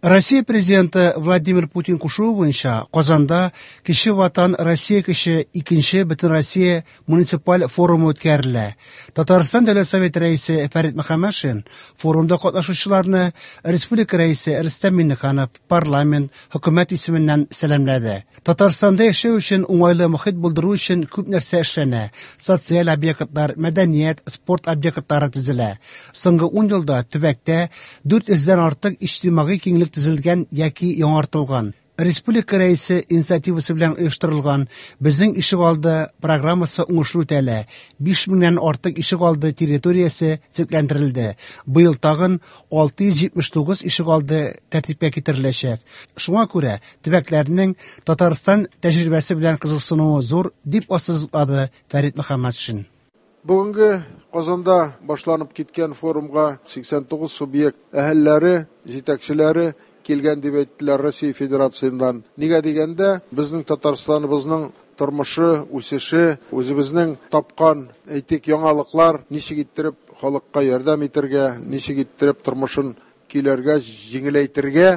Россия Президенты Владимир Путин кушуы буенча Казанда Кече Ватан Россия көче икенче Бөтенроссия муниципаль форумы үткәрелә. Татарстан Дәүләт Советы Рәисе Фәрит Мөхәммәтшин форумда катнашучыларны республика Рәисе Рөстәм Миңнеханов, парламент, хөкүмәт исеменнән сәламләде. Татарстанда яшәү өчен уңайлы мохит булдыру өчен күп нәрсә эшләнә. Социаль объектлар, мәдәният, спорт объектлары төзелә. Соңгы ун елда төбәктә 400 дән артык иҗтимагый киңлек төзелгән яки яңартылган. Республика Рәисе инициативасы белән оештырылган Безнең ишегалды программасы уңышлы үтәлә. 5 меңнән артык ишегалды территориясе төзекләндерелде. Быел тагын 679 ишегалды тәртипкә китереләчәк. Шуңа күрә төбәкләрнең Татарстан тәҗрибәсе белән кызыксынуы зур, дип ассызыклады Фәрит Мөхәммәтшин. Бүгенге Казанда башланып киткән форумга 89 субъект әһелләре, җитәкчеләре килгән дип әйттеләр Россия Федерациясеннән. Нигә дигәндә, безнең Татарстаныбызның тормышы, үсеше, үзебезнең тапкан, әйтик, яңалыклар ничек иттереп халыкка ярдәм итәргә, ничек иттереп тормышын көйләргә, җиңеләйтергә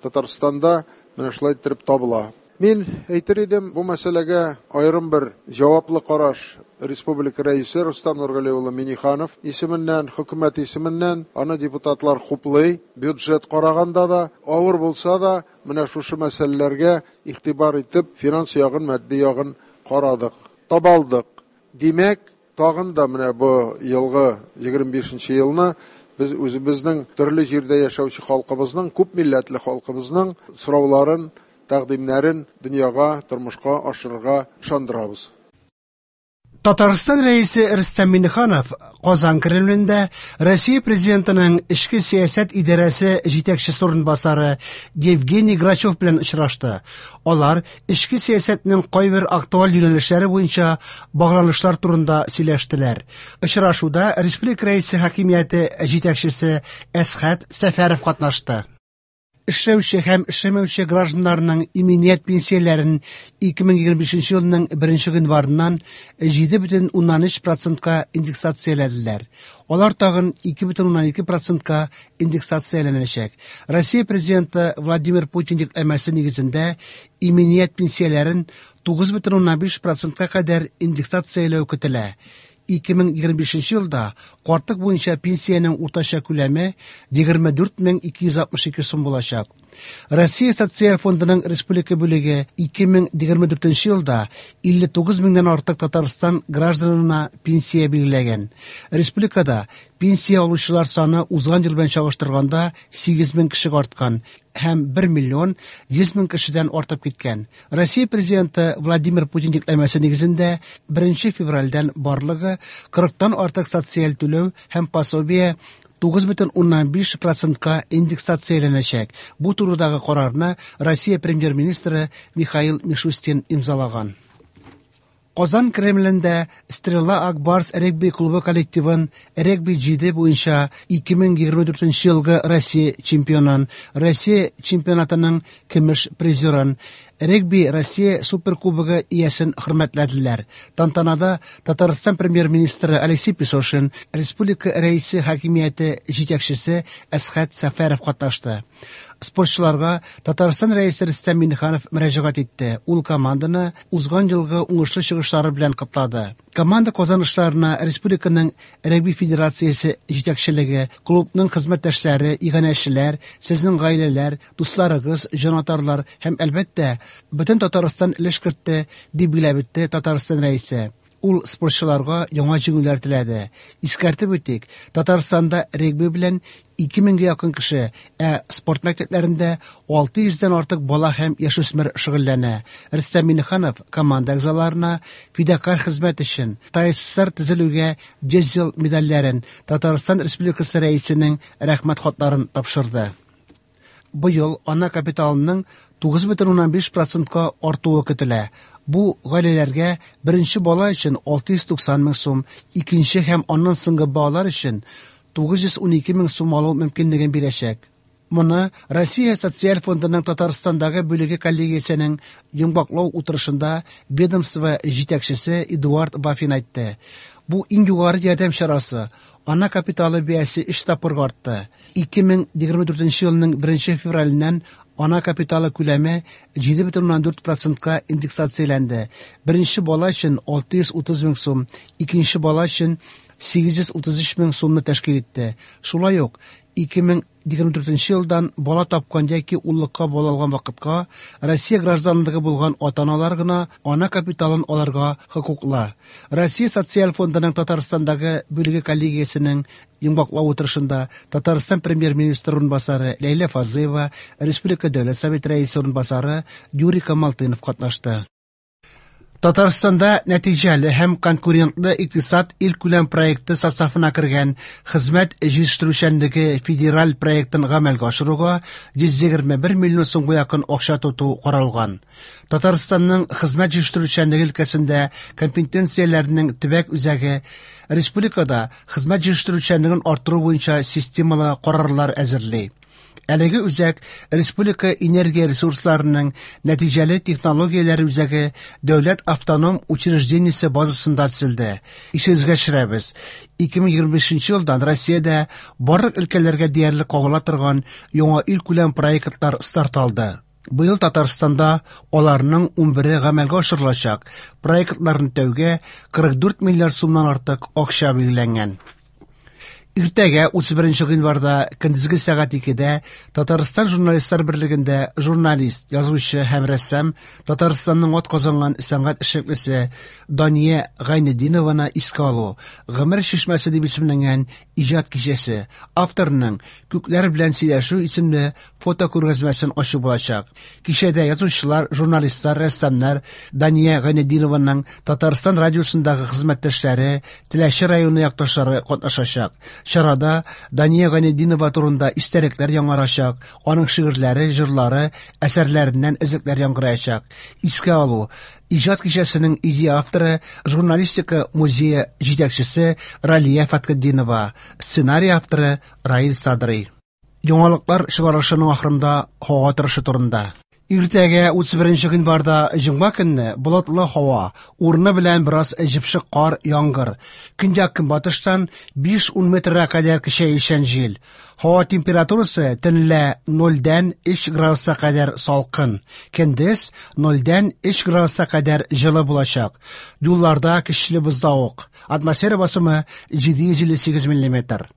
Татарстанда менә шулай иттереп табыла. Мин әйтер идем, бу мәсьәләгә аерым бер җаваплы караш республика Рәисе Рустам Нургали улы Минниханов исеменнән, хөкүмәт исеменнән, аны депутатлар хуплый, бюджет караганда да, авыр булса да, менә шушы мәсьәләләргә игътибар итеп, финанс ягын, матди ягын карадык, таба алдык. Димәк, тагын да менә бу елгы 25 елны без үзебезнең төрле җирдә яшәүче халкыбызның, күп милләтле халкыбызның сорауларын, тәкъдимнәрен дөньяга, тормышка ашырырга ышандырабыз. Татарстан Рәисе Рөстәм Миңнеханов Казан Кремлендә Россия Президентының эчке сәясәт идарәсе җитәкчесе урынбасары Евгений Грачев белән очрашты. Алар эчке сәясәтнең кайбер актуаль юнәлешләре буенча багланышлар турында сөйләштеләр. Очрашуда республика Рәисе хакимияте җитәкчесе Әсхәт Сәфәров катнашты. Эшләүче һәм эшләмәүче гражданнарның иминият пенсияләрен 2025 елның 1 гыйнварыннан 7,3 процентка индексацияләделәр. Алар тагын 2,2 процентка индексацияләнәчәк. Россия Президенты Владимир Путин йөкләмәсе нигезендә иминият пенсияләрен 9,5 процентка кадәр индексацияләү көтелә. 2025 елда картлык буенча пенсиянең уртача күләме 24 262 сум булачак. Россия Социаль фондының республика бүлеге 2024 елда 59 меңнән артык Татарстан гражданына пенсия билгеләгән. Республикада пенсия алучылар саны узган ел белән чагыштырганда 8 мең кешегә арткан һәм 1 миллион 100 мең кешедән артып киткән. Россия Президенты Владимир Путин йөкләмәсе нигезендә 1 февральдән барлыгы 40тан артык социаль түләү һәм пособие 9,5 процентка индексацияләнәчәк. Бу турыдагы карарны Россия премьер-министры Михаил Мишустин имзалаган. Казан Кремлендә Стрела Ак Барс регби клубы коллективын регби 7 буенча 2024 елгы Россия чемпионын, Россия чемпионатының көмеш призерын, регби Россия суперкубогы иясен хөрмәтләделәр. Тантанада Татарстан премьер-министры Алексей Песошин, республика рәисе хакимияте җитәкчесе Әсхәт Сәфәров катнашты. Спортчыларга Татарстан Рәисе Рөстәм Миңнеханов мөрәҗәгать итте. Ул команданы узган елгы уңышлы чыгышлары белән котлады. Команда казанышларына республиканың регби федерациясе җитәкчелеге, клубның хезмәттәшләре, иганәчеләр, сезнең гаиләләр, дусларыгыз, җанатарлар һәм әлбәттә, бөтен Татарстан өлеш кертте, дип билгеләп үтте Татарстан Рәисе. Ул спортчыларга яңа җиңүләр теләде. Искәртеп үтик, Татарстанда регби белән 2000гә якын кеше, ә спорт мәктәпләрендә 600дән артык бала һәм яшүсмер шөгыльләнә. Рөстәм Миңнеханов команда әгъзаларына фидакарь хезмәт өчен ТАССР төзелүгә 100 ел медальләрен, Татарстан Республикасы Рәисенең рәхмәт хатларын тапшырды. Быел ана капиталының 9,5 процентка артуы көтелә. Бу гаиләләргә беренче бала өчен 690 мең сум, икенче һәм аннан соңгы балалар өчен 912 мең сум алу мөмкинлеген бирәчәк. Моны Россия Социаль фондының Татарстандагы бүлеге коллегиясенең йомгаклау утырышында ведомство җитәкчесе Эдуард Вафин әйтте. Бу иң югары ярдәм чарасы. Ана капиталы бәясе 3 тапкырга артты. 2024 елның 1 февраленнән ана капиталы күләме 7,4 процентка индексацияләнде. Беренче бала өчен 630 мең сум, икенче бала өчен 833 мең сумны тәшкил итте. Шулай ук 2024 елдан бала тапкан яки уллыкка бала алган вакытка Россия гражданлыгы булган ата-аналар гына ана капиталын алырга хокуклы. Россия Социаль фондының Татарстандагы бүлеге коллегиясенең йомгаклау утырышында Татарстан премьер-министры урынбасары Ләйлә Фазлыева, Республика Дәүләт Советы рәисе урынбасары Юрий Камалтынов катнашты. Татарстанда нәтиҗәле һәм конкурентлы икътисад илкүләм проекты составына кергән хезмәт җитештерүчәнлеге федераль проектын гамәлгә ашыруга 121 миллион сумга якын акча тоту каралган. Татарстанның хезмәт җитештерүчәнлеге өлкәсендә компетенцияләрнең төбәк үзәге республикада хезмәт җитештерүчәнлеген арттыру буенча системалы карарлар әзерли. Әлеге үзәк Республика энергия ресурсларының нәтиҗәле технологияләре үзәге дәүләт автоном учреждениесе базасында төзелде. Исегезгә төшерәбез, 2025 елдан Россиядә барлык өлкәләргә диярлек кагыла торган яңа илкүләм проектлар старт алды. Быел Татарстанда аларның 11-е гамәлгә ашырылачак. Проектларны үтәүгә 44 миллиард сумнан артык акча билгеләнгән. Иртәгә 31 гыйнварда көндезге сәгать 2дә Татарстан журналистлар берлегендә журналист, язучы һәм рәссам, Татарстанның атказанган сәнгать эшлеклесе Дания Гайнетдинованы искә алу Гомер чишмәсе дип исемләнгән иҗат кичәсе, авторның Күкләр белән сөйләшү исемле фотокүргәзмәсен ачу булачак. Кичәдә язучылар, журналистлар, рәссамнар, Дания Гайнетдинованың Татарстан радиосындагы хезмәттәшләре, Теләче районы якташлары катнашачак. Чарада Дания Гайнетдинова турында истәлекләр яңарачак, аның шигырьләре, җырлары, әсәрләреннән өзекләр яңгыраячак. Искә алу иҗат кичәсенең идея авторы, журналистика музее җитәкчесе Ралия Фәтхетдинова, сценарий авторы Раил Садрый. Яңалыклар чыгарылышының ахырында һава торышы турында. Иртәгә 31 гыйнварда җомга көнне болытлы һава, урыны белән бераз җепшек кар, яңгыр. Көньяк-көнбатыштан 5-10 метрга кадәр көчәючән җил. Һава температурасы төнлә 0-дән 3 градуска кадәр салкын, көндез 0-дән 3 градуска кадәр җылы булачак. Юлларда көчле бозлавык. Атмосфера басымы 758 миллиметр.